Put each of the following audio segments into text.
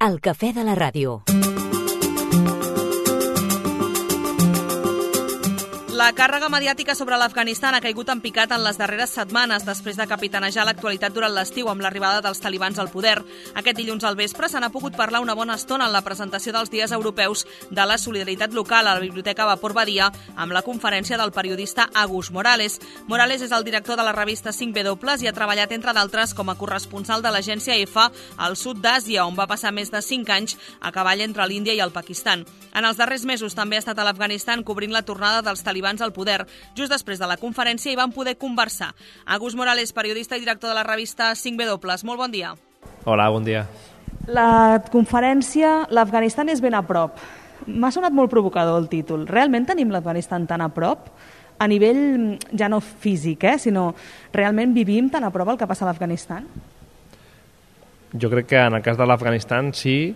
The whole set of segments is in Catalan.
El cafè de la ràdio. La càrrega mediàtica sobre l'Afganistan ha caigut en picat en les darreres setmanes després de capitanejar l'actualitat durant l'estiu amb l'arribada dels talibans al poder. Aquest dilluns al vespre se n'ha pogut parlar una bona estona en la presentació dels Dies Europeus de la Solidaritat Local a la Biblioteca Vapor Badia amb la conferència del periodista Agus Morales. Morales és el director de la revista 5W i ha treballat, entre d'altres, com a corresponsal de l'agència EFA al sud d'Àsia, on va passar més de 5 anys a cavall entre l'Índia i el Pakistan. En els darrers mesos també ha estat a l'Afganistan cobrint la tornada dels talibans al poder. Just després de la conferència hi van poder conversar. Agus Morales, periodista i director de la revista 5W. Molt bon dia. Hola, bon dia. La conferència, l'Afganistan és ben a prop. M'ha sonat molt provocador el títol. Realment tenim l'Afganistan tan a prop? A nivell ja no físic, sinó realment vivim tan a prop el que passa a l'Afganistan? Jo crec que en el cas de l'Afganistan sí,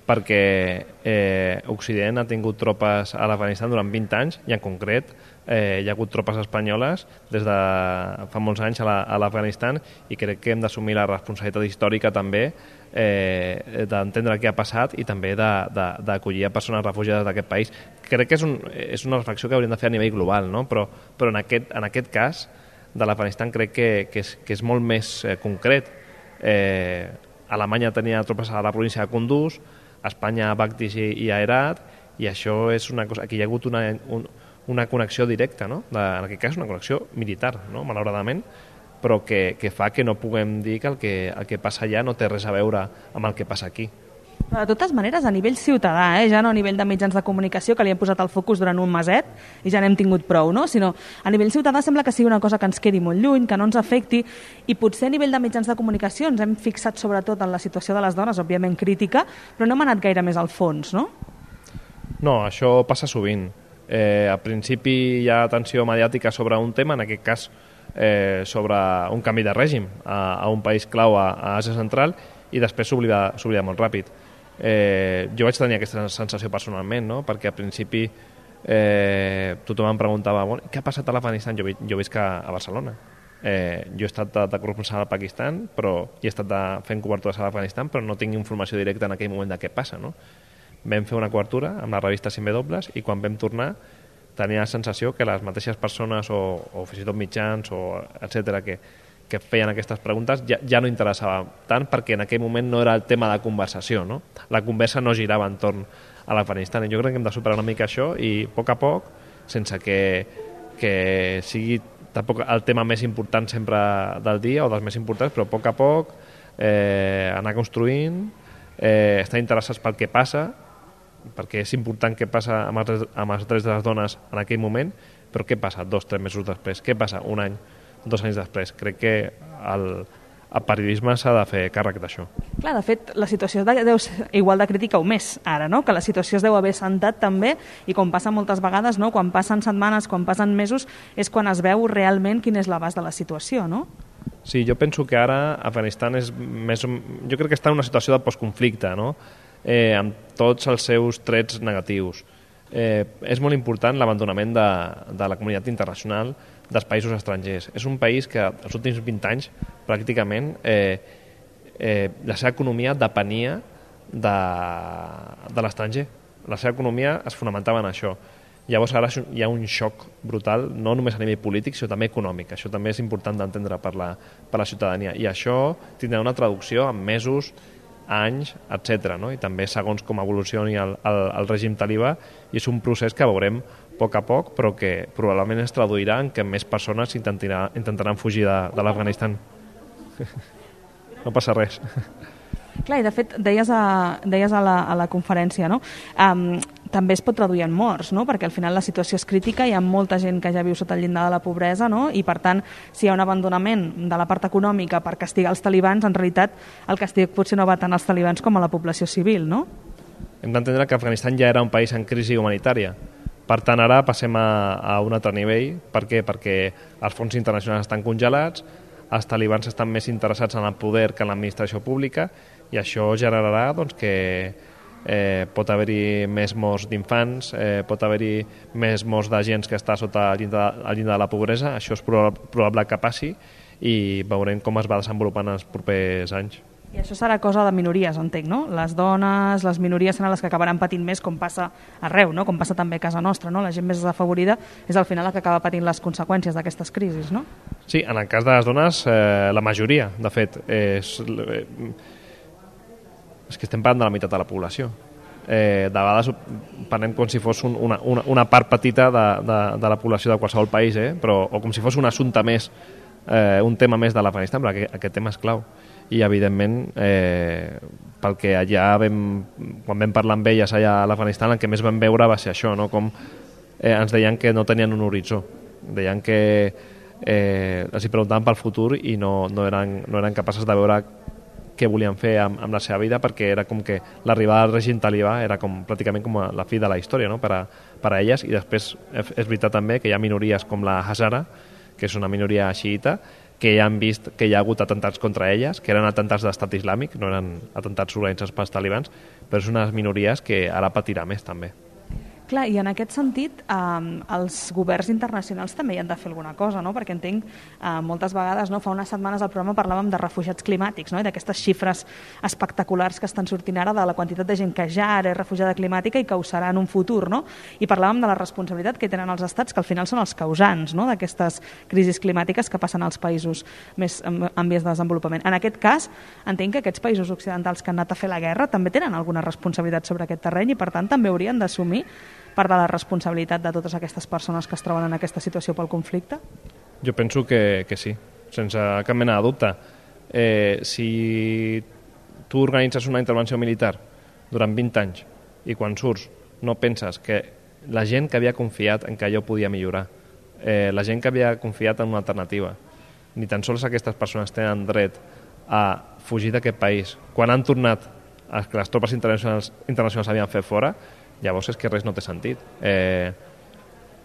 perquè Occident ha tingut tropes a l'Afganistan durant 20 anys i en concret hi ha hagut tropes espanyoles des de fa molts anys a l'Afganistan i crec que hem d'assumir la responsabilitat històrica també d'entendre què ha passat i també d'acollir a persones refugiades d'aquest país. Crec que és una reflexió que hauríem de fer a nivell global, no? Però en aquest cas de l'Afganistan crec que és molt més concret. Alemanya tenia tropes a la província de Kunduz, Espanya a Baghdiz i a Herat, i això és una cosa... Aquí hi ha hagut una connexió directa, no? En aquest cas una connexió militar, no? Malauradament, però que fa que no puguem dir que el que passa allà no té res a veure amb el que passa aquí. Però de totes maneres, a nivell ciutadà, ja no a nivell de mitjans de comunicació, que li hem posat el focus durant un meset i ja n'hem tingut prou, no? Sinó a nivell ciutadà sembla que sigui una cosa que ens quedi molt lluny, que no ens afecti, i potser a nivell de mitjans de comunicació ens hem fixat sobretot en la situació de les dones, òbviament crítica, però no hem anat gaire més al fons, no? No, això passa sovint. Al principi hi ha atenció mediàtica sobre un tema, en aquest cas sobre un canvi de règim a un país clau a Àsia Central, i després s'oblida molt ràpid. Jo vaig tenir aquesta sensació personalment, no? Perquè al principi tothom em preguntava què ha passat a l'Afganistan? Jo visc a Barcelona. Jo he estat de corresponsal al Pakistan i he estat fent cobertures a l'Afganistan, però no tinc informació directa en aquell moment de què passa, no? Vam fer una cobertura amb la revista 5W i quan vam tornar tenia la sensació que les mateixes persones o fins i tot mitjans etcètera que feien aquestes preguntes ja no interessava tant, perquè en aquell moment no era el tema de conversació, no? La conversa no girava entorn a l'Afganistan, i jo crec que hem de superar una mica això i a poc, sense que sigui tampoc el tema més important sempre del dia o dels més importants, però a poc anar construint, estar interessats pel que passa, perquè és important què passa amb els drets de les dones en aquell moment, però què passa 2 o 3 mesos després, què passa un any, 2 anys després. Crec que el periodisme s'ha de fer càrrec d'això. Clar, de fet, la situació deu ser igual de crítica o més ara, no? Que la situació es deu haver sentat també, i com passa moltes vegades, no? Quan passen setmanes, quan passen mesos, és quan es veu realment quin és l'abast de la situació, no? Sí, jo penso que ara Afganistan és més... Jo crec que està en una situació de postconflicte, no? Amb tots els seus trets negatius. És molt important l'abandonament de la comunitat internacional, dels països estrangers. És un país que els últims 20 anys pràcticament la seva economia depenia de l'estranger. La seva economia es fonamentava en això. Llavors ara hi ha un xoc brutal, no només a nivell polític, sinó també econòmic. Això també és important d'entendre per la ciutadania. I això tindrà una traducció en mesos, anys, etc. No? I també segons com evolucioni el règim talibà, i és un procés que veurem a poc, però que probablement es traduirà en que més persones intentaran fugir de l'Afganistan. No passa res. Clar, i de fet, deies a la conferència, no? També es pot traduir en morts, no? Perquè al final la situació és crítica, hi ha molta gent que ja viu sota el llindar de la pobresa, no? I per tant, si hi ha un abandonament de la part econòmica per castigar els talibans, en realitat el castig potser no va tant als talibans com a la població civil, no? Hem d'entendre que Afganistan ja era un país en crisi humanitària. Per tant, ara passem a un altre nivell. Per què? Perquè els fons internacionals estan congelats, els talibans estan més interessats en el poder que en l'administració pública, i això generarà doncs, que pot haver-hi més morts d'infants, pot haver-hi més morts de gent que està sota el llindar de la pobresa. Això és probable que passi, i veurem com es va desenvolupant en els propers anys. I això serà cosa de minories, entenc, no? Les dones, les minories seran les que acabaran patint més, com passa arreu, no? Com passa també a casa nostra, no? La gent més desafavorida és al final la que acaba patint les conseqüències d'aquestes crisis, no? Sí, en el cas de les dones, la majoria, de fet, és que estem parlant de la meitat de la població. De vegades parlem com si fos una part petita de la població de qualsevol país, però, o com si fos un assumpte més, un tema més de l'Afganistan, però aquest tema és clau. I evidentment, pel que allà quan vam parlar amb elles allà a l'Afganistan, el que més vam veure va ser això, no? Com ens deien que no tenien un horitzó, deien que els hi preguntaven pel futur i no eren capaces de veure què volien fer amb la seva vida, perquè era com que l'arribada del règim talibà era pràcticament com la fi de la història, no? per a elles. I després és veritat també que hi ha minories com la Hazara, que és una minoria xiïta, que ja han vist que hi ha hagut atentats contra elles, que eren atentats d'estat islàmic, no eren atentats organitzats pels talibans, però és unes minories que ara patirà més també. Clar, i en aquest sentit, els governs internacionals també hi han de fer alguna cosa, no? Perquè entenc, moltes vegades, no? Fa unes setmanes al programa parlàvem de refugiats climàtics, no? I d'aquestes xifres espectaculars que estan sortint ara de la quantitat de gent que ja ara és refugiada climàtica i que ho serà en un futur, no? I parlàvem de la responsabilitat que tenen els estats, que al final són els causants, no? D'aquestes crisis climàtiques que passen als països més en vies de desenvolupament. En aquest cas, entenc que aquests països occidentals que han anat a fer la guerra també tenen alguna responsabilitat sobre aquest terreny i, per tant, també haurien d'assumir part de la responsabilitat de totes aquestes persones que es troben en aquesta situació pel conflicte? Jo penso que sí, sense cap mena de dubte. Si tu organitzes una intervenció militar durant 20 anys i quan surts no penses que la gent que havia confiat en que allò podia millorar, la gent que havia confiat en una alternativa, ni tan sols aquestes persones tenen dret a fugir d'aquest país, quan han tornat que les tropes internacionals havien fet fora, llavors és que res no té sentit.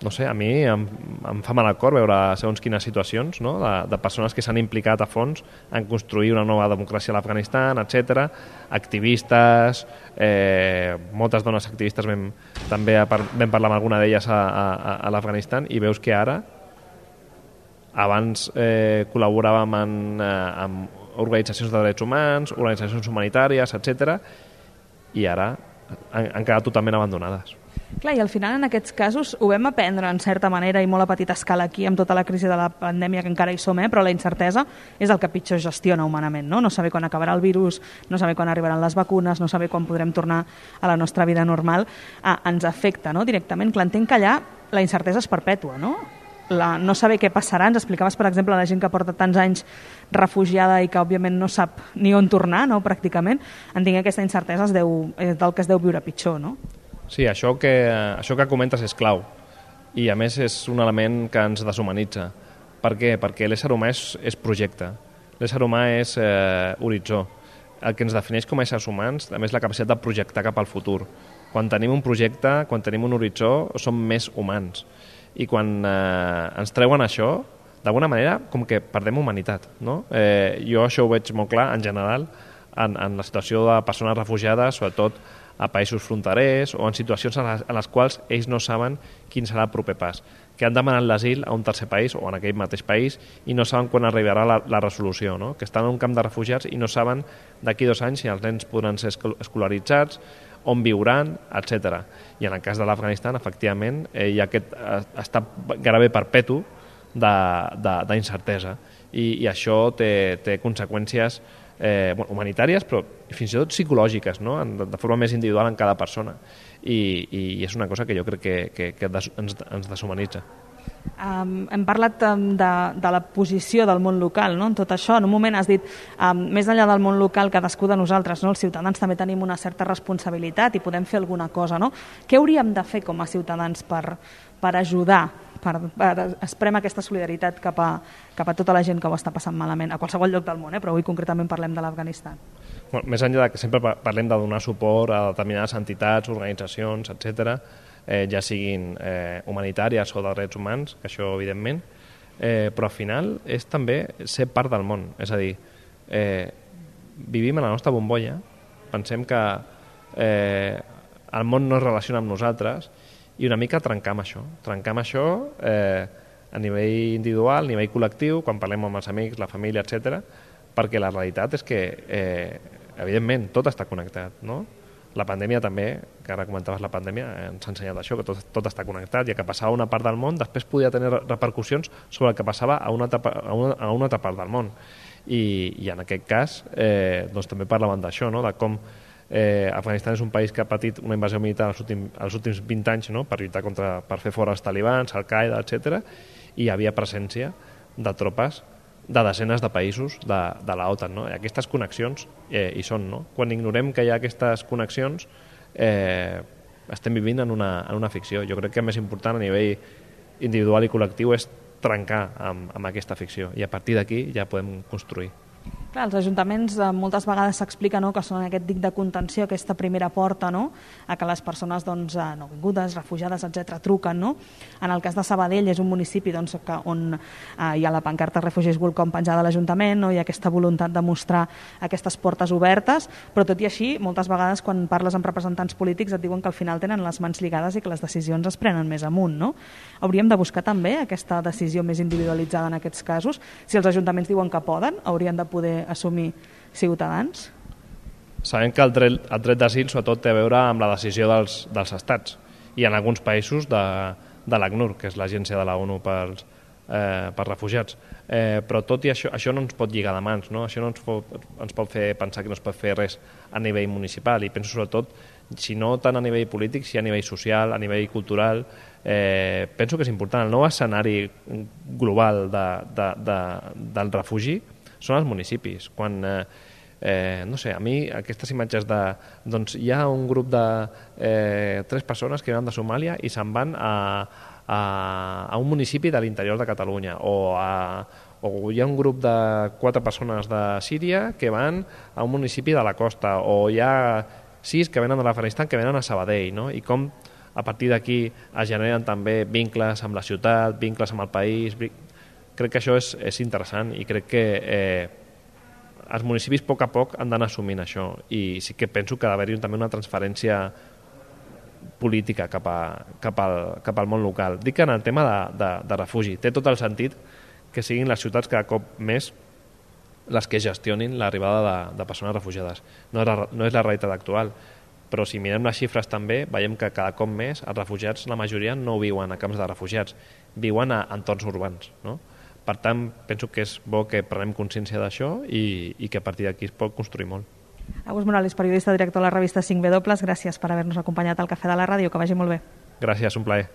No sé, a mi em fa mal al cor veure segons quines situacions, no? de persones que s'han implicat a fons en construir una nova democràcia a l'Afganistan, etc. Activistes, moltes dones activistes, també vam parlar amb alguna d'elles a l'Afganistan, i veus que ara, abans col·laboràvem amb organitzacions de drets humans, organitzacions humanitàries, etc. I ara han quedat totalment abandonades. Clar, i al final en aquests casos ho vam aprendre en certa manera i molt a petita escala aquí amb tota la crisi de la pandèmia que encara hi som, però la incertesa és el que pitjor gestiona humanament, no? No saber quan acabarà el virus, no saber quan arribaran les vacunes, no saber quan podrem tornar a la nostra vida normal, ens afecta, no? Directament. Clar, entenc que allà la incertesa és perpètua, no? No saber què passarà. Ens explicaves, per exemple, la gent que porta tants anys refugiada i que òbviament no sap ni on tornar, no? Pràcticament. Entenc que aquesta incertesa és del que es deu viure pitjor, no? Sí, això que comentes és clau, i a més és un element que ens deshumanitza. Per què? Perquè l'ésser humà és projecte, l'ésser humà és horitzó. El que ens defineix com a éssers humans també és la capacitat de projectar cap al futur. Quan tenim un projecte, quan tenim un horitzó, som més humans. I quan ens treuen això, d'alguna manera com que perdem humanitat, no? Jo això ho veig molt clar en general en la situació de persones refugiades, sobretot a països fronterers o en situacions en les quals ells no saben quin serà el proper pas, que han demanat l'asil a un tercer país o en aquell mateix país i no saben quan arribarà la resolució, no? Que estan en un camp de refugiats i no saben d'aquí 2 anys si els nens podran ser escolaritzats, on viuran, etc. I en el cas de l'Afganistan, efectivament, hi ha aquest estat gairebé perpetu d'incertesa. I això té conseqüències humanitàries, però fins i tot psicològiques, no? De forma més individual en cada persona. I és una cosa que jo crec que ens deshumanitza. Hem parlat de la posició del món local, no? En tot això, en un moment has dit més enllà del món local, cadascú de nosaltres, no? Els ciutadans també tenim una certa responsabilitat i podem fer alguna cosa, no? Què hauríem de fer com a ciutadans per ajudar, per espremar aquesta solidaritat cap a tota la gent que ho està passant malament a qualsevol lloc del món, però avui concretament parlem de l'Afganistan? Bueno, més enllà que sempre parlem de donar suport a determinades entitats, organitzacions, etc., ja siguin humanitàries o de drets humans, que això evidentment, però al final és també ser part del món, és a dir, vivim en la nostra bombolla, pensem que el món no es relaciona amb nosaltres i una mica trencar amb això a nivell individual, a nivell col·lectiu, quan parlem amb els amics, la família, etc., perquè la realitat és que, evidentment, tot està connectat, no? La pandèmia també, que ara comentaves la pandèmia, ens ha ensenyat això, que tot està connectat, i el que passava a una part del món després podia tenir repercussions sobre el que passava a una altra part del món. I en aquest cas doncs també parlaven d'això, no? De com Afganistan és un país que ha patit una invasió militar els últims 20 anys, no? Per lluitar per fer fora els talibans, Al-Qaeda, etc. I hi havia presència de tropes de desenes de països de l'OTAN, no? I aquestes connexions hi són, no? Quan ignorem que hi ha aquestes connexions estem vivint en una ficció. Jo crec que el més important a nivell individual i col·lectiu és trencar amb aquesta ficció, i a partir d'aquí ja podem construir. Clar, els ajuntaments moltes vegades s'explica, no, que són aquest dic de contenció, aquesta primera porta, no, a que les persones nouvingudes, refugiades, etc. truquen. No? En el cas de Sabadell és un municipi on hi ha la pancarta Refugees Welcome penjada a l'Ajuntament, no? Hi ha aquesta voluntat de mostrar aquestes portes obertes, però tot i així, moltes vegades quan parles amb representants polítics et diuen que al final tenen les mans lligades i que les decisions es prenen més amunt. No? Hauríem de buscar també aquesta decisió més individualitzada en aquests casos. Si els ajuntaments diuen que poden, haurien de poder assumir ciutadans? Sabem que el dret d'asil sobretot té a veure amb la decisió dels estats, i en alguns països de l'ACNUR, que és l'agència de la ONU per refugiats. Però tot i això no ens pot lligar de mans, no? Això no ens pot fer pensar que no es pot fer res a nivell municipal, i penso sobretot, si no tant a nivell polític, si a nivell social, a nivell cultural. Penso que és important. El nou escenari global del refugi són els municipis. Quan, no sé, a mi aquestes imatges doncs hi ha un grup de 3 persones que venen de Somàlia i se'n van a un municipi de l'interior de Catalunya, o hi ha un grup de 4 persones de Síria que van a un municipi de la costa, o hi ha 6 que venen de l'Afganistan que venen a Sabadell, no? I com a partir d'aquí es generen també vincles amb la ciutat, vincles amb el país. Crec que això és interessant, i crec que els municipis a poc han d'anar assumint això, i sí que penso que ha d'haver-hi també una transferència política cap al món local. Dic que en el tema de refugi té tot el sentit que siguin les ciutats cada cop més les que gestionin l'arribada de persones refugiades. No és la realitat actual, però si mirem les xifres també veiem que cada cop més els refugiats, la majoria no viuen a camps de refugiats, viuen a entorns urbans, no? Per tant, penso que és bo que prenem consciència d'això i que a partir d'aquí es pot construir molt. Agus Morales, periodista, director de la revista 5W, gràcies per haver-nos acompanyat al Cafè de la Ràdio, que vagi molt bé. Gràcies, un plaer.